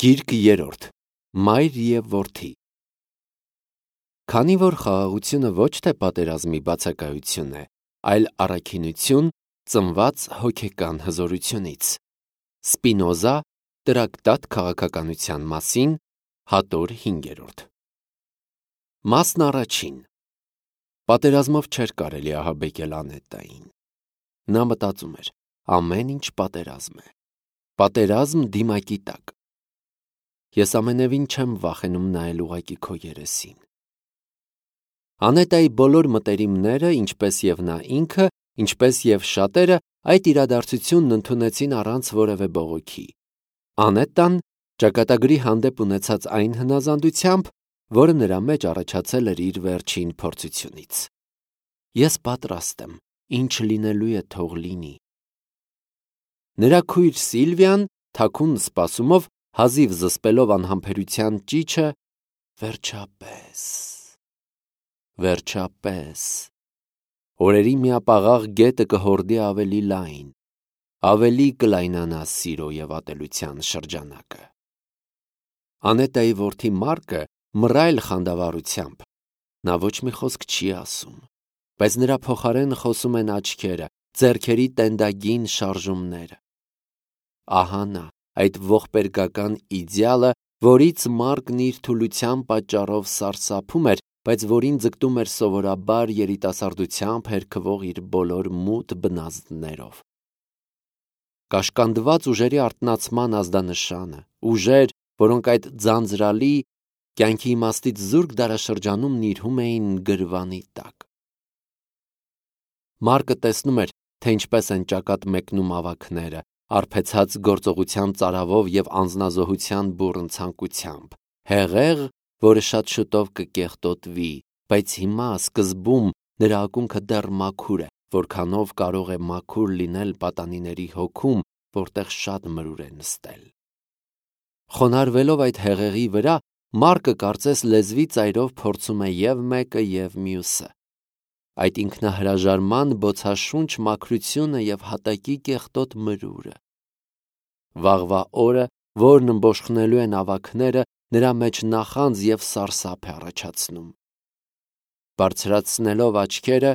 Գիրք 3. Մայր և որդի։ Քանի որ խաղաղությունը ոչ թե պատերազմի բացակայություն է, այլ առաքինություն ծնված հոգեկան հզորությունից։ Սպինոզա Տրակտատ քաղաքականության մասին, հատոր 5. Մասն առաջին։ Պատերազմով չէր կարելի ահաբեկել Անետային։ Նա մտածում էր, ամեն ինչ պատերազմ է։ Պատերազմ դիմակի տակ։ Ես ամենևին չեմ վախենում նայել ուղղակի քո երեսին։ Անետայի բոլոր մտերիմները, ինչպես և նա ինքը, ինչպես և շատերը, այդ իրադարձությունն ընդունեցին առանց որևէ բողոքի։ Անետան ճակատագրի հանդեպ ունեցած այն հնազանդությամբ, որը նրա մեջ առաջացել էր իր վերջին փորձությունից։ Ես պատրաստ եմ, ինչ լինելու է թող լինի։ Նրա քույր Սիլվիան թաքուն սպասումով, հազիվ զսպելով անհամբերության ճիչը, վերջապես, օրերի միապաղաղ գետը կհորդի ավելի լայն, ավելի կլայնանա սիրո և ատելության շրջանակը։ Անետայի որդի Մարկը մռայլ խանդավառությամբ, նա ոչ մի խոսք չի ասում, բայց նրա փոխարեն խոսում են աչքերը, ձեռքերի տենդագին շարժումները։ Ահա նա, այդ ողբերգական իդեալը, որից Մարկն իր թուլության պատճառով սարսափում էր, բայց որին ձգտում էր սովորաբար երիտասարդությամբ հերքվող իր բոլոր մութ բնազդներով։ Կաշկանդված ուժերի արթնացման ազդանշանը, ուժեր, որոնք այդ ձանձրալի, կյանքի իմաստից զուրկ դարաշրջանում նիրհում էին գրվանի տակ։ Մարկը տեսնում էր, թե ինչպես են ճակատ մեկնում ավագները, արբեցած գործողության ծարավով և անձնազոհության բուռն ցանկությամբ, հեղեղ, որը շատ շուտով կկեղտոտվի, բայց հիմա, սկզբում, նրա ակունքը դեռ մաքուր է, որքանով կարող է մաքուր լինել պատանիների հոգում, որտեղ շատ մրուր է նստել։ Խոնարհվելով այդ հեղեղի վրա, Մարկը կարծես լեզվի ծայրով փորձում է և մեկը, և մյուսը։ Այդ ինքնահրաժարման բոցաշունչ մաքրությունը և հատակի կեղտոտ մրուրը։ Վաղվա օրը, որն ըմբոշխնելու են ավագները, նրա մեջ նախանձ և սարսափ է առաջացնում։ Բարձրացնելով աչքերը,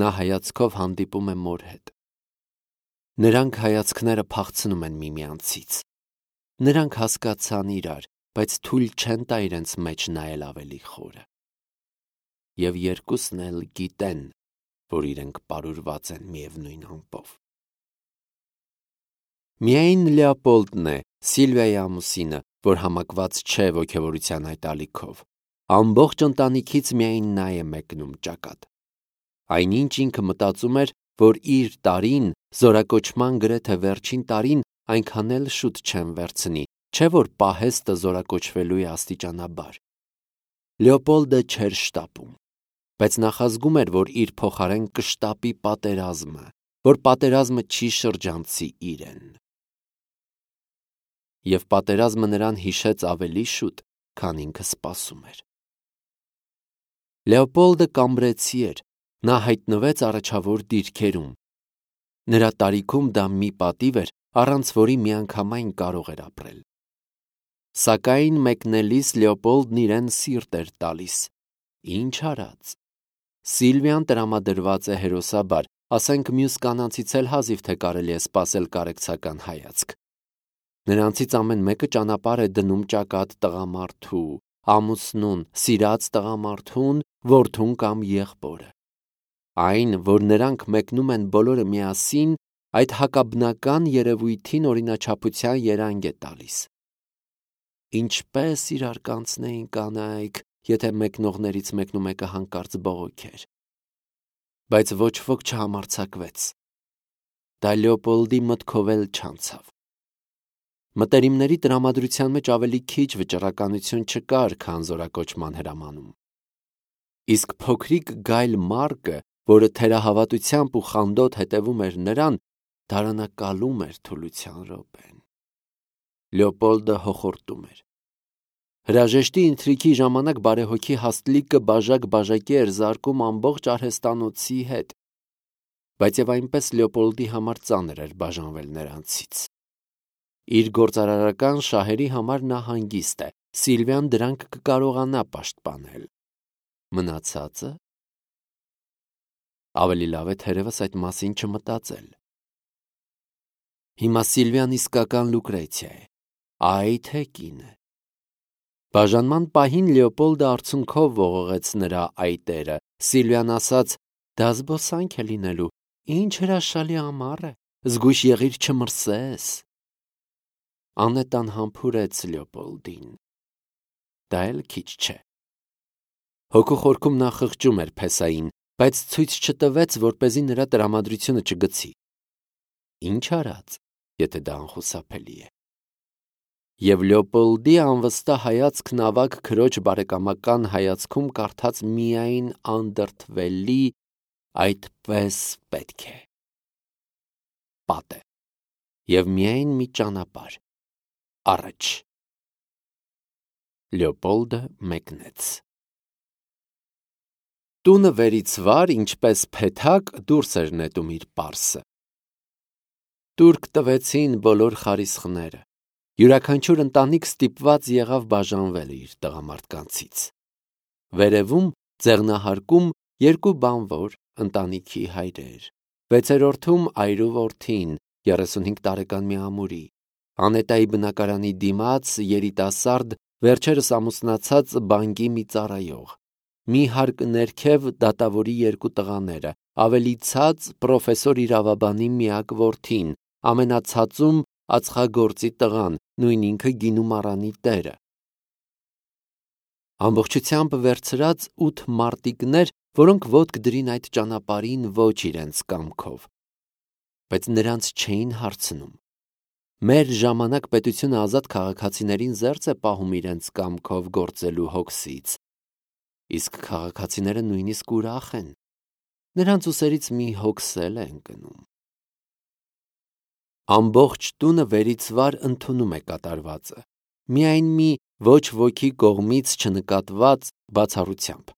նա հայացքով հանդիպում է մոր հետ։ Նրանք հայացքները փախցնում են միմյանցից։ Նրանք հասկացան իրար, բայց թույլ չեն տա իրենց մեջ նայել ավելի խորը։ Եվ երկուսն էլ գիտեն, որ իրենք պարուրված են միևնույն ամպով։ Միայն Լեոպոլդն է, Սիլվիայի ամուսինը, որ համակված չէ ոգևորության այդ ալիքով։ Ամբողջ ընտանիքից միայն նա է մեկնում ճակատ։ Այնինչ ինքը մտածում էր, որ իր տարին, զորակոչման գրեթե վերջին տարին, այնքան էլ շուտ չեն վերցնի, չէ՞ որ պահեստը զորակոչվելու է աստիճանաբար։ Լեոպոլդը չէր շտապում, բայց նախազգում էր, որ իր փոխարեն կշտապի պատերազմը, որ պատերազմը չի շրջանցի իրեն։ Եվ պատերազմը նրան հիշեց ավելի շուտ, քան ինքը սպասում էր։ Լեոպոլդը կամբրեցի էր, նա հայտնվեց առաջավոր դիրքերում։ Նրա տարիքում դա մի պատիվ էր, առանց որի միանգամայն կարող էր ապրել։ Սակայն մեկնելիս Լեոպոլդն իրեն սիրտ էր տալիս։ Ինչ արած։ Սիլվիան տրամադրված է հերոսաբար, ասենք մյուս կանանցից էլ հազիվ թե կարելի է սպասել կարեկցական հայացք։ Նրանցից ամեն մեկը ճանապարհ է դնում ճակատ տղամարդու, ամուսնուն, սիրած տղամարդուն, որդուն կամ եղբորը։ Այն, որ նրանք մեկնում են բոլորը միասին, այդ հակաբնական երևույթին օրինաչափության երանգ է տալիս։ Ինչպես իրար կանցնեին կանայք, եթե մեկնողներից մեկնումեկը հանկարծ բողոքեր։ Բայց ոչ ոք չհամարձակվեց։ Դա Լեոպոլդի մտքով էլ չանցավ։ Մտերիմների տրամադրության մեջ ավելի քիչ վճռականություն չկար, քան զորակոչման հրամանում։ Իսկ փոքրիկ գայլ Մարկը, որը թերահավատությամբ ու խանդոտ հետևում էր նրան, դարանակալում էր թուլության րոպեն։ Լեոպոլդը հոխորտում էր։ Հրաժեշտի ընթրիքի ժամանակ բարեհոգի Հաստլիկը բաժակ-բաժակի էր զարկում ամբողջ արհեստանոցի հետ, բայց և այնպես Լեոպոլդի համար ծանր էր բաժանվել նրանցից։ Իր գործարարական շահերի համար նա հանգիստ է, Սիլվիան դրանք կկարողանա պաշտպանել։ Մնացածը։ Ավելի լավ է թերևս այդ մասին չմտածել։ Հիմա Սիլվիան իսկական Լուկրեցիա է, այ թե կինը։ Բաժանման պահին Լեոպոլդը արցունքով ողողեց նրա այտերը։ Սիլվիան ասաց. «Դա զբոսանք է լինելու, ինչ հրաշալի ամառ է, զգույշ եղիր չմրսես»։ Անետան համբուրեց Լեոպոլդին։ Դա էլ քիչ չէ։ Հոգու խորքում նա խղճում էր փեսային, բայց ցույց չտվեց, որպեսզի նրա տրամադրությունը չգցի։ Ինչ արած, եթե դա անխուսափելի է։ Եվ Լեոպոլդի անվստահ հայացքն ավագ քրոջ բարեկամական հայացքում կարդաց միայն անդրդվելի այդպես պետք է։ Պատը։ Եվ միայն մի ճանապարհ առաջ։ Լեոպոլդը մեկնեց։ Տունը վերից վար, ինչպես փեթակ, դուրս էր նետում իր պարսը։ Տուրք տվեցին բոլոր խարիսխները։ Յուրաքանչյուր ընտանիք ստիպված եղավ բաժանվել իր տղամարդկանցից։ Վերևում ձեղնահարկում երկու բանվոր ընտանիքի հայրեր։ Վեցերորդում այրու որդին, 35 տարեկան մի ամուրի։ Անետայի բնակարանի դիմաց երիտասարդ, վերջերս ամուսնացած բանկի մի ծառայող։ Մի հարկ ներքև դատավորի երկու տղաները, ավելի ցած պրոֆեսոր իրավաբանի միակ որդին, ամենացածում ածխագործի տղան, նույն ինքը գինու մառանի տերը։ Ամբողջությամբ վերցրած 8 մարտիկներ, որոնք ոտք դրին այդ ճանապարհին ոչ իրենց կամքով, բայց նրանց չէին հարցնում։ Մեր ժամանակ պետությունը ազատ քաղաքացիներին զերծ է պահում իրենց կամքով գործելու հոգսից, իսկ քաղաքացիները նույնիսկ ուրախ են։ Նրանց ուսերից մի հոգս էլ է ընկնում։ Ամբողջ տունը վերից վար ընդունում է կատարվածը, միայն մի ոչ ոքի կողմից չնկատված բացառությամբ։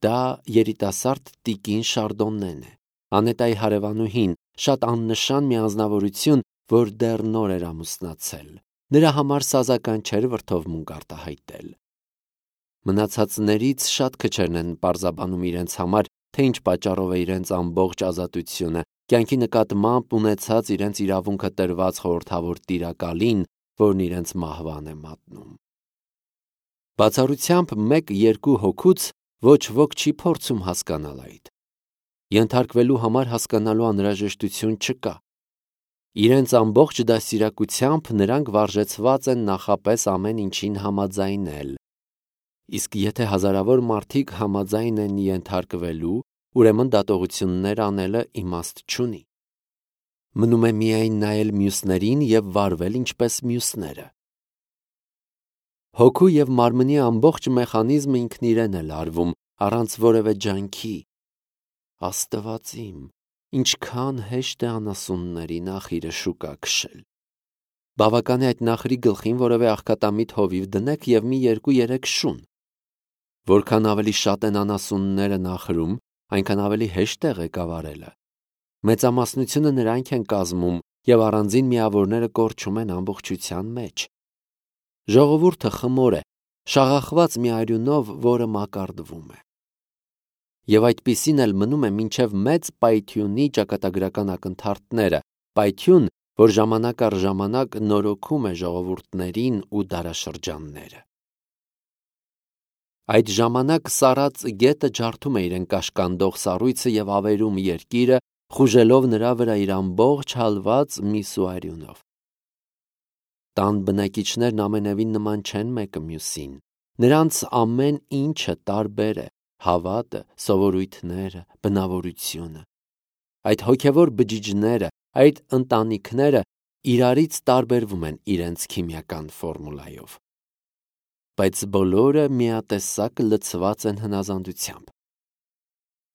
Դա երիտասարդ տիկին Շարդոննեն է, Անետայի հարևանուհին, շատ աննշան մի անձնավորություն, որ դեռ նոր էր ամուսնացել։ Նրա համար սազական չէր վրդովմունք արտահայտել։ Մնացածներից շատ քչերն են պարզաբանում իրենց համար, թե ինչ պատճառով է իրենց ամբողջ ազատությունը, կյանքի նկատմամբ ունեցած իրենց իրավունքը տրված խորհրդավոր տիրակալին, որն իրենց մահվան է մատնում։ Բացառությամբ 1-2 հոգուց ոչ ոք չի փորձում հասկանալ այդ։ Ենթարկվելու համար հասկանալու անհրաժեշտություն չկա։ Իրենց ամբողջ դաստիարակությամբ նրանք վարժեցված են նախապես ամեն ինչին համաձայնել։ Իսկ եթե հազարավոր մարդիկ համաձայն են ենթարկվելու, ուրեմն դատողություններ անելը իմաստ չունի։ Մնում է միայն նայել մյուսներին եւ վարվել ինչպես մյուսները։ Հոգու եւ մարմնի ամբողջ մեխանիզմը ինքն իրեն է լարվում, առանց որևէ ջանքի։ Աստված իմ, ինչքան հեշտ է անասունների նախիրը շուկա քշել։ Բավական է այդ նախրի գլխին որևէ աղքատամիտ հովիվ դնեք եւ մի 2-3 շուն։ Որքան ավելի շատ են անասունները նախրում, այնքան ավելի հեշտ է ղեկավարելը։ Մեծամասնությունը նրանք են կազմում եւ առանձին միավորները կորչում են ամբողջության մեջ։ Ժողովուրդը խմոր է, շաղախված մի արյունով, որը մակարդվում է։ Եվ այդպիսին էլ մնում է մինչև մեծ պայթյունի ճակատագրական ակնթարթները, պայթյուն, որ ժամանակ առ ժամանակ նորոգում է ժողովուրդներին ու դարաշրջանները։ Այդ ժամանակ սառած գետը ջարդում է իրեն կաշկանդող սառույցը եւ ավերում երկիրը, խուժելով նրա վրա իր ամբողջ հալված միսու արյունով։ Տան բնակիչներն ամենևին նման չեն մեկը մյուսին։ Նրանց ամեն ինչը տարբեր է, հավատը, սովորույթները, բնավորությունը։ Այդ հոգևոր բջիջները, այդ ընտանիքները իրարից տարբերվում են իրենց քիմիական ֆորմուլայով։ Բայց բոլորը միատեսակ լցված են հնազանդությամբ։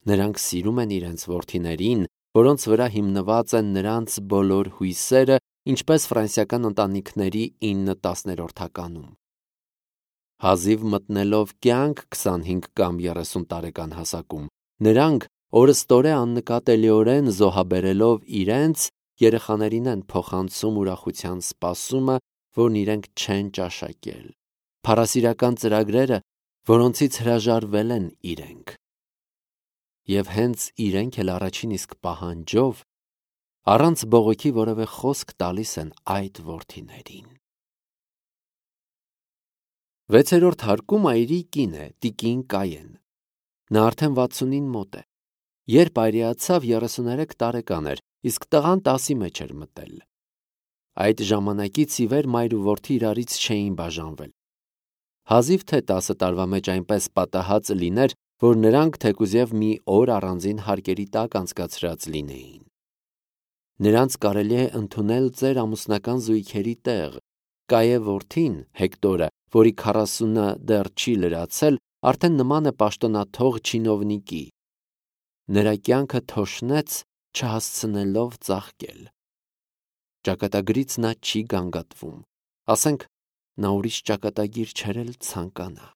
Նրանք սիրում են իրենց որդիներին, որոնց վրա հիմնված են նրանց բոլոր հույսերը, ինչպես ֆրանսիական ընտանիքների 9/10-ականում։ Հազիվ մտնելով կյանք 25 կամ 30 տարեկան հասակում, նրանք օրըստորե աննկատելիորեն զոհաբերելով իրենց երեխաներին են փոխանցում ուրախության սպասումը, որն իրենք չեն ճաշակել, փառասիրական ծրագրերը, որոնցից հրաժարվել են իրենք։ Եվ հենց իրենք էլ առաջին իսկ պահանջով, առանց բողոքի որևէ խոսք տալիս են այդ որդիներին։ 6-րդ հարկում այրի կին է տիկին Կայեն։ Նա արդեն 60-ին մոտ է։ Երբ այրիացավ 33 տարեկան էր, իսկ տղան 10-ի մեջ էր մտել։ Այդ ժամանակից ի վեր մայր ու որդի իրարից չէին բաժանվել։ Հազիվ թե 10 տարվա մեջ այնպես պատահած լիներ, որ նրանք թեկուզև մի օր առանձին հարկերի տակ անցկացրած լինեին։ Նրանց կարելի է ընդունել ծեր ամուսնական զույգերի տեղ։ Կայե որդին, Հեկտորը, որի 40-ը դեռ չի լրացել, արդեն նման է պաշտոնաթող չինովնիկի։ Նրա կյանքը թոշնեց, չհասցնելով ծաղկել։ Ճակատագրից նա չի գանգատվում, ասենք նա ուրիշ ճակատագիր չէր էլ ցանկանա։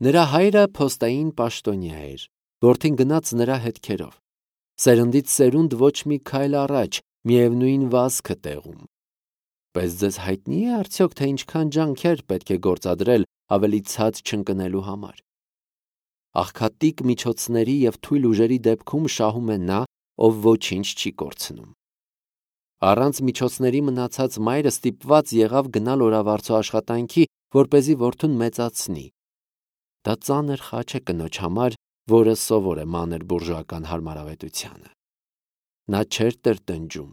Նրա հայրը փոստային պաշտոնյա էր, որդին գնաց նրա հետքերով։ Սերնդից սերունդ ոչ մի քայլ առաջ, միևնույն վազքը տեղում։ Բայց ձեզ հայտնի է արդյոք, թե ինչքան ջանքեր պետք է գործադրել ավելի ցած չընկնելու համար։ Աղքատիկ միջոցների և թույլ ուժերի դեպքում շահում է նա, ով ոչինչ չի կորցնում։ Առանց միջոցների մնացած մայրը ստիպված եղավ գնալ օրավարձու աշխատանքի, որպեսզի որդուն մեծացնի։ Դա ծանր խաչ է կնոջ համար, որը սովոր է մանր բուրժուական հարմարավետությանը։ Նա չէր տրտնջում։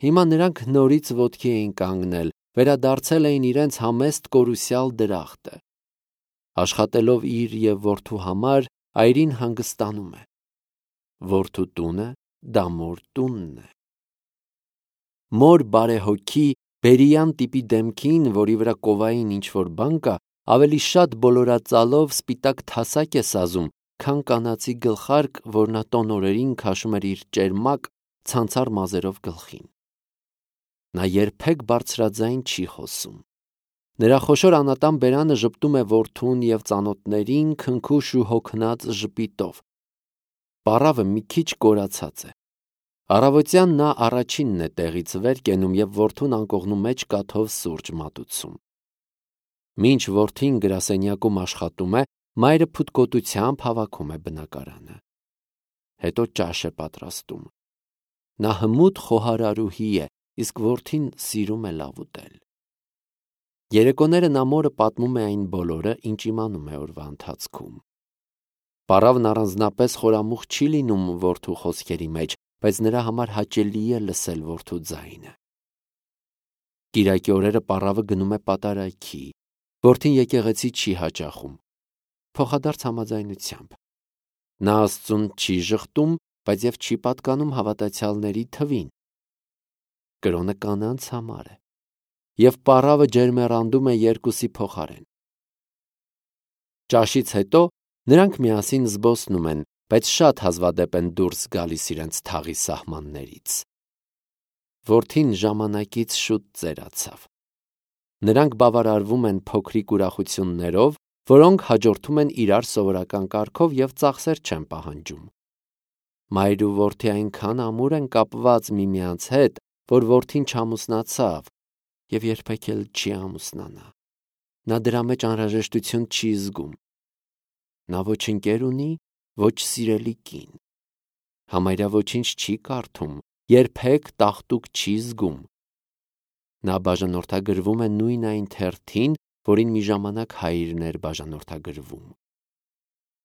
Հիմա նրանք նորից ոտքի էին կանգնել, վերադարձել էին իրենց համեստ կորուսյալ դրախտը։ Աշխատելով իր և որդու համար, այրին հանգստանում է։ Որդու տունը դա մոր տունն է։ Մոր բարեհոգի, բերիյան տիպի դեմքին, որի վրա կովային ինչ-որ բան կա, ավելի շատ բոլորածալով սպիտակ թասակ է սազում, քան կանացի գլխարկ, որ նա տոն օրերին քաշում էր իր ճերմակ, ցանցառ մազերով գլխին։ Նա երբեք բարձրաձայն չի խոսում։ Նրա խոշոր անատան բերանը ժպտում է որդուն և ծանոթներին քնքուշ ու հոգնած ժպիտով։ Պառավը մի քիչ կորացած է։ Առավոտյան նա առաջինն է տեղից վեր կենում և որդուն անկողնու մեջ կաթով սուրճ մատուցում։ Մինչ որդին գրասենյակում աշխատում է, մայրը փութկոտությամբ հավաքում է բնակարանը։ Հետո ճաշ է պատրաստում։ Նա հմուտ խոհարարուհի է, իսկ որդին սիրում է լավ ուտել։ Երեկոները նա մորը պատմում է այն բոլորը, ինչ իմանում է օրվա ընթացքում։ Պառավն առանձնապես խորամուխ չի լինում որդու խոսքերի մեջ, բայց նրա համար հաճելի է լսել որդու ձայնը։ Կիրակի օրերը պառավը գնում է պատարագի։ Որդին եկեղեցի չի հաճախում։ Փոխադարձ համաձայնությամբ։ Նա Աստծուն չի ժխտում, բայց և չի պատկանում հավատացյալների թվին։ Կրոնը կանանց համար է։ Եվ պառավը ջերմեռանդում է երկուսի փոխարեն։ Ճաշից հետո նրանք միասին զբոսնում են, բայց շատ հազվադեպ են դուրս գալիս իրենց թաղի սահմաններից։ Որդին ժամանակից շուտ ծերացավ։ Նրանք բավարարվում են փոքրիկ ուրախություններով, որոնք հաջորդում են իրար սովորական կարգով և ծախսեր չեն պահանջում։ Մայր ու որդի այնքան ամուր են կապված միմյանց հետ, որ որդին չամուսնացավ և երբեք էլ չի ամուսնանա։ Նա դրա մեջ անհրաժեշտություն չի զգում։ Նա ոչ ընկեր ունի, ոչ սիրելի կին։ Համարյա ոչինչ չի կարդում, երբեք տաղտուկ չի զգում։ Նա բաժանորդագրվում է նույն այն թերթին, որին մի ժամանակ հայրն էր բաժանորդագրվում։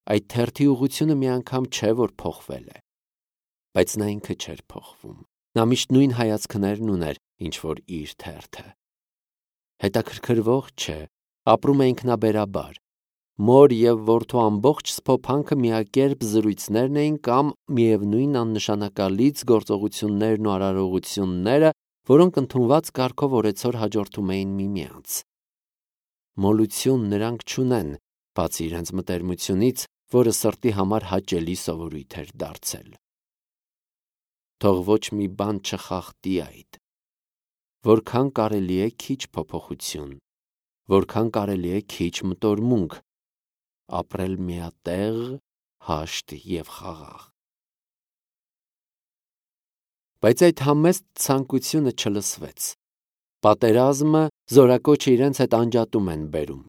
Այդ թերթի ուղղությունը մի անգամ չէ, որ փոխվել է, բայց նա ինքը չէր փոխվում։ Նա միշտ նույն հայացքներն ուներ, ինչ որ իր թերթը։ Հետաքրքրվող չէ, ապրում է ինքնաբերաբար։ Մոր և որդու ամբողջ սփոփանքը միակերպ զրույցներն էին կամ միևնույն աննշանակալից գործողություններն ու արարողությունները, որոնք ընդունված կարգով օրեցօր հաջորդում էին միմյանց։ Մոլություն նրանք չունեն, բացի իրենց մտերմությունից, որը սրտի համար հաճելի սովորույթ էր դարձել։ Թող ոչ մի բան չխախտի այդ։ Որքան կարելի է քիչ փոփոխություն, որքան կարելի է քիչ մտորմունք, ապրել միատեղ, հաշտ և խաղաղ։ Բայց այդ համեստ ցանկությունը չլսվեց։ Պատերազմը զորակոչը իրենց հետ անջատում են բերում։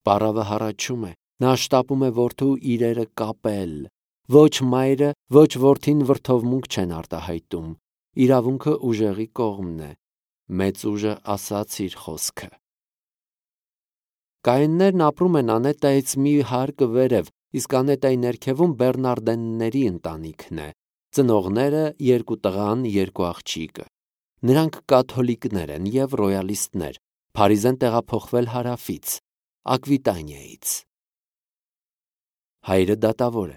Պարավը հառաչում է, նա շտապում է որդու իրերը կապել։ Ոչ մայրը, ոչ որդին վրդովմունք չեն արտահայտում։ Իրավունքը ուժեղի կողմն է։ Մեծ ուժը ասաց իր խոսքը։ Կայեններն ապրում են Անետայից մի հարկը վերև, իսկ Անետայի ներքևում Բեռնարդենների ընտանիքն է։ Ծնողները 2 տղան, 2 աղջիկը։ Նրանք կաթոլիկներ են և ռոյալիստներ, Փարիզ են տեղափոխվել հարավից, Ակվիտանիայից։ Հայրը դատավոր է,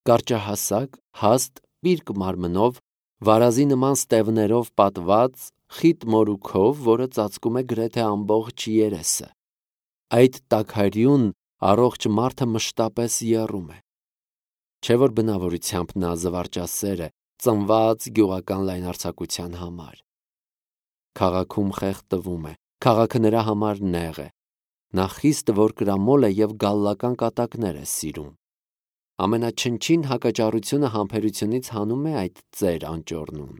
կարճահասակ, հաստ, պիրկ մարմնով, վարազի նման ստևներով պատված, խիտ մորուքով, որը ծածկում է գրեթե ամբողջ երեսը։ Այդ տաքարյուն, առողջ մարդը մշտապես եռում է։ Չէ՞ որ բնավորությամբ նա զվարճասեր է, ծնված գյուղական լայնարձակության համար։ Քաղաքում խեղդվում է, քաղաքը նրա համար նեղ է։ Նա խիստ որկրամոլ է և գալլական կատակներ է սիրում։ Ամենաչնչին հակաճառությունը համբերությունից հանում է այդ ծեր անճոռնուն։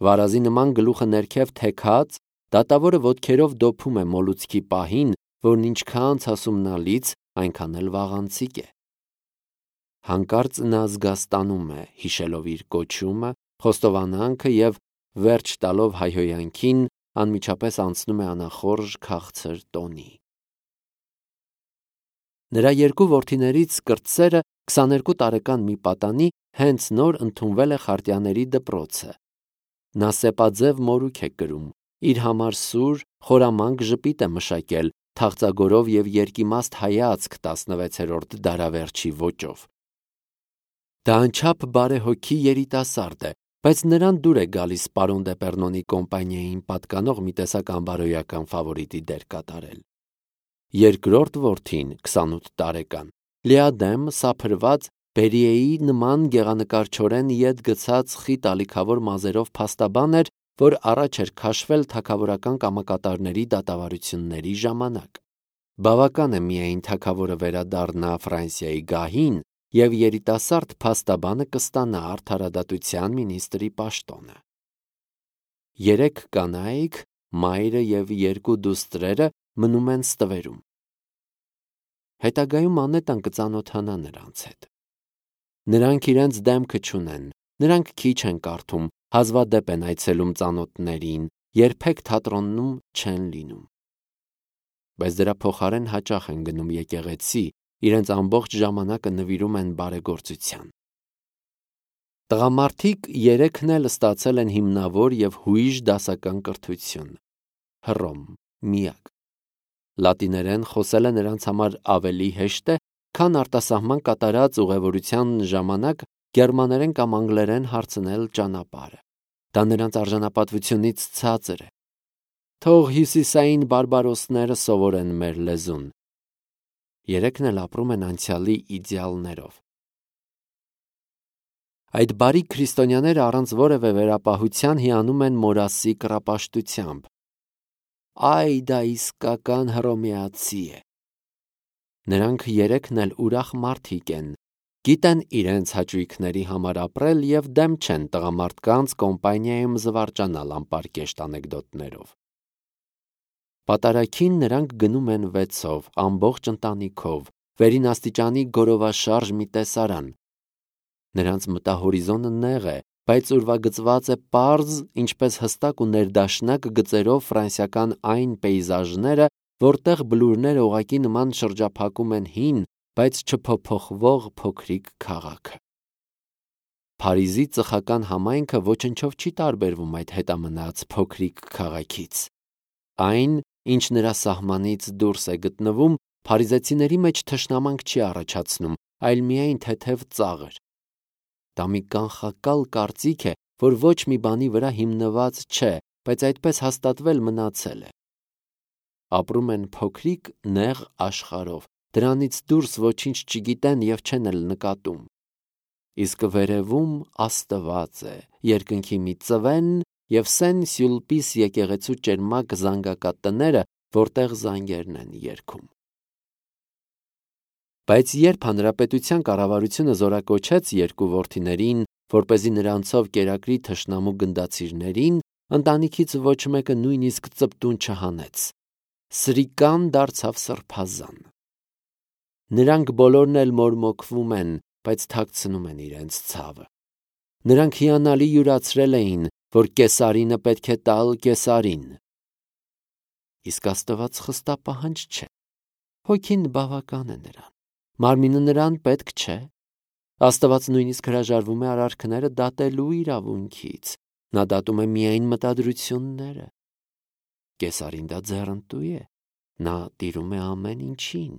Վարազի նման գլուխը ներքև թեքած, դատավորը ոտքերով դոփում է մոլուցքի պահին, որն ինչքան ցասումնալից, այնքան էլ վաղանցիկ է։ Հանկարծ նա զգաստանում է, հիշելով իր կոչումը, խոստովանանքը և վերջ տալով հայհոյանքին, անմիջապես անցնում է անախորժ քաղցր տոնի։ Նրա 2 որդիներից կրտսերը 22 տարեկան մի պատանի հենց նոր ընդունվել է Խարտյանների դպրոցը։ Նա սեպաձև մորուք է կրում, իր համար սուր, խորամանկ ժպիտ է մշակել, թախծագորով և երկիմաստ հայացք 16-րդ դարավերջի ոճով։ Դա անչափ բարեհոգի երիտասարդ է, բայց նրան դուր է գալիս պարոն Դեպեռնոնի կոմպանիային պատկանող մի տեսակ անբարոյական ֆավորիտի դեր կատարել։ Երկրորդ որդին, 28 տարեկան, լիադեմ, սափրված, Բերիեի նման գեղանկարչորեն ետ գցած խիտ ալիքավոր մազերով փաստաբան էր, որ առաջ էր քաշվել թագավորական կամակատարների դատավարությունների ժամանակ։ Բավական է միայն թագավորը վերադառնա Ֆրանսիայի գահին, և երիտասարդ փաստաբանը կստանա արդարադատության մինիստրի պաշտոնը։ 3 կանայք, մայրը և 2 դուստրերը մնում են ստվերում։ Հետագայում Անետան կծանոթանա նրանց հետ։ Նրանք իրենց դեմքը չունեն, նրանք քիչ են կարդում, հազվադեպ են այցելում ծանոթներին, երբեք թատրոնում չեն լինում։ Բայց դրա փոխարեն հաճախ են գնում եկեղեցի, իրենց ամբողջ ժամանակը նվիրում են բարեգործության։ Տղամարդիկ 3-ն էլ ստացել են հիմնավոր և հույժ դասական կրթություն։ Հռոմ, միակ։ Լատիներեն խոսելը նրանց համար ավելի հեշտ է, քան արտասահման կատարած ուղևորության ժամանակ գերմաներեն կամ անգլերեն հարցնել ճանապարհը։ Դա նրանց արժանապատվությունից ցածր է։ Թող հյուսիսային բարբարոսները սովորեն մեր լեզուն։ 3-ն էլ ապրում են անցյալի իդեալներով։ Այդ բարի քրիստոնյաները առանց որևէ վերապահության հիանում են Մորասի կռապաշտությամբ։ Այ դա իսկական հռոմեացի է։ Նրանք 3-ն էլ ուրախ մարդիկ են, գիտեն իրենց հաճույքների համար ապրել և դեմ չեն տղամարդկանց կոմպանիայում զվարճանալ անպարկեշտ անեկդոտներով։ Պատարագին նրանք գնում են 6-ով, ամբողջ ընտանիքով, վերին աստիճանի գորովաշարժ մի տեսարան։ Նրանց մտահորիզոնը նեղ է, բայց ուրվագծված է պարզ, ինչպես հստակ ու ներդաշնակ գծերով ֆրանսիական այն պեյզաժները, որտեղ բլուրները ուղղակի նման շրջափակում են հին, բայց չփոփոխվող փոքրիկ քաղաքը։ Փարիզի ծխական համայնքը ոչնչով չի տարբերվում այդ հետամնաց փոքրիկ քաղաքից։ Այն, ինչ նրա սահմանից դուրս է գտնվում, փարիզեցիների մեջ թշնամանք չի առաջացնում, այլ միայն թեթև ծաղր։ Դա մի կանխակալ կարծիք է, որ ոչ մի բանի վրա հիմնված չէ, բայց այդպես հաստատվել մնացել է։ Ապրում են փոքրիկ նեղ աշխարհով, դրանից դուրս ոչինչ չգիտեն և չեն էլ նկատում։ Իսկ վերևում Աստված է, երկնքի մի ծվեն և Սեն-Սյուլպիս եկեղեցու ճերմակ զանգակատները, որտեղ զանգերն են երգում։ Բայց երբ հանրապետության կառավարությունը զորակոչեց 2 որդիներին, որպեսզի նրանցով կերակրի թշնամու գնդացիրներին, ընտանիքից ոչ մեկը նույնիսկ ծպտուն չհանեց։ Սրիկան դարձավ սրբազան։ Նրանք բոլորն էլ մորմոքվում են, բայց թաքցնում են իրենց ցավը։ Նրանք հիանալի յուրացրել էին, որ Կեսարինը պետք է տալ Կեսարին։ Իսկ Աստված խստապահանջ չէ։ Հոգին բավական է նրան, մարմինը նրան պետք չէ։ Աստված նույնիսկ հրաժարվում է արարքները դատելու իրավունքից, նա դատում է միայն մտադրությունները։ Կեսարին դա ձեռնտու է, նա տիրում է ամեն ինչին։